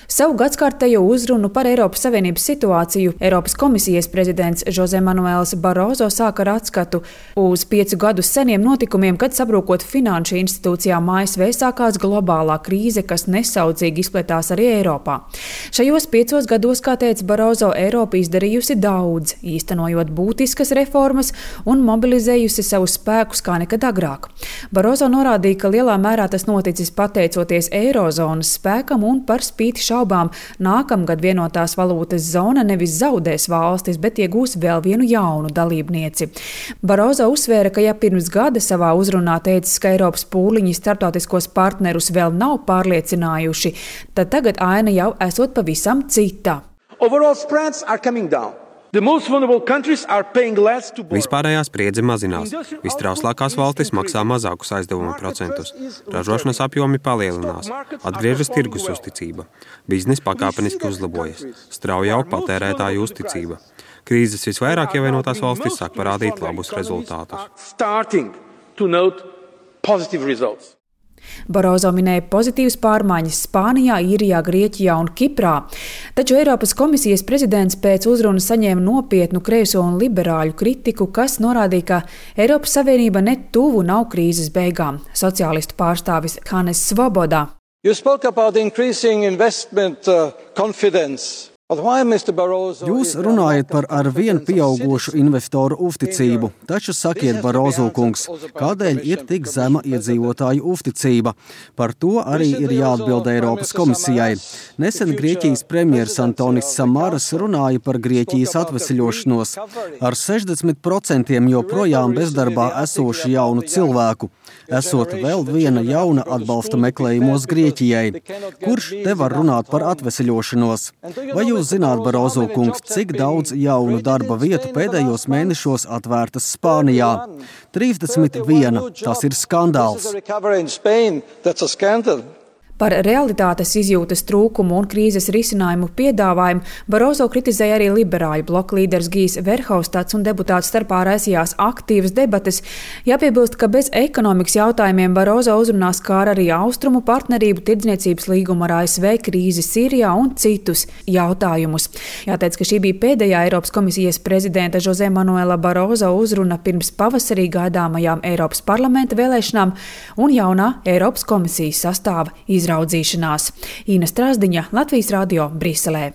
Savu gadskārtējo uzrunu par Eiropas Savienības situāciju Eiropas komisijas prezidents Jose Manuels Barroso sāka ar atskatu uz 5 gadus seniem notikumiem, kad sabrūkot finanšu institūcijām ASV sākās globālā krīze, kas nesaudzīgi izpletās arī Eiropā. Šajos 5 gados, kā teica Barroso, Eiropa izdarījusi daudz, īstenojot būtiskas reformas un mobilizējusi savus spēkus kā nekad agrāk. Barroso norādīja, ka lielā mērā tas noticis pateicoties Eirozonas spēkam un par spīti šaubām nākamgad vienotās valūtas zona nevis zaudēs valstis, bet iegūs vēl vienu jaunu dalībnieci. Barroso uzsvēra, ka ja pirms gada savā uzrunā teicis, ka Eiropas pūliņi starptautiskos partnerus vēl nav pārliecinājuši, tad tagad aina jau esot pavisam cita. Overall spreads are coming down. The most vulnerable countries are paying less to borrow. Vispārējā spriedze mazinās. Vistrauslākās valstis maksā mazākus aizdevumu procentus. Ražošanas apjomi palielinās. Atgriežas tirgus uzticība. Bizness pakāpeniski uzlabojas. Strauji aug patērētāju uzticība. Krīzes visvairāk ievainotās valstis sāk parādīt labus rezultātus. Barroso minēja pozitīvas pārmaiņas Spānijā, Īrijā, Grieķijā un Kiprā, taču Eiropas komisijas prezidents pēc uzrunas saņēma nopietnu kreiso un liberāļu kritiku, kas norādīja, ka Eiropas Savienība ne tuvu nav krīzes beigām. Sociālistu pārstāvis Hannes Svoboda. You spoke about increasing investment confidence. Jūs runājat par arvien pieaugošu investoru uzticību, taču sakiet, Barroso kungs, kādēļ ir tik zema iedzīvotāju uzticība? Par to arī ir jāatbild Eiropas komisijai. Nesen Grieķijas premjers Antonis Samaras runāja par Grieķijas atvesļošanos. Ar 60% joprojām bezdarbā esošu jaunu cilvēku. Esot vēl viena jauna atbalsta meklējumos Grieķijai. Kurš te var runāt par atvesļošanos? Vai jūs zināt, Barroso kungs, cik daudz jaunu darba vietu pēdējos mēnešos atvērtas Spānijā? 31. Tas ir skandāls. Par realitātes izjūtas trūkumu un krīzes risinājumu piedāvājumu Barroso kritizēja arī liberāļu bloka līderis Gijs Verhofstadts un deputāti starpā raisījās aktīvas debates. Jāpiebilst, ka bez ekonomikas jautājumiem Barroso uzrunās skāra arī austrumu partnerību, tirdzniecības līgumu ar ASV, krīzi Sīrijā un citus jautājumus. Jāteic, ka šī bija pēdējā Eiropas komisijas prezidenta Jose Manuela Barroso uzruna pirms pavasarī gaidāmajām Eiropas parlamenta vēlēšanām un jaunā Eiropas komisijas sastāva izraudzīšanās. Ina Strasdiņa, Latvijas radio, Briselē.